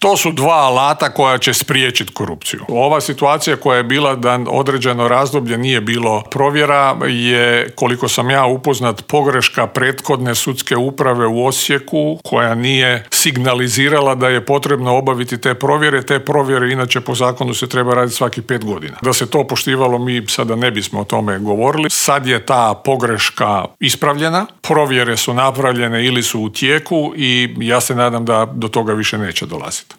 To su dva alata koja će spriječiti korupciju. Ova situacija koja je bila da određeno razdoblje nije bilo provjera je, koliko sam ja upoznat, pogreška prethodne sudske uprave u Osijeku koja nije signalizirala da je potrebno obaviti te provjere. Te provjere inače po zakonu se treba raditi svaki 5 godina. Da se to poštivalo, mi sada ne bismo o tome govorili. Sad je ta pogreška ispravljena, provjere su napravljene ili su u tijeku i ja se nadam da do toga više neće dolaziti.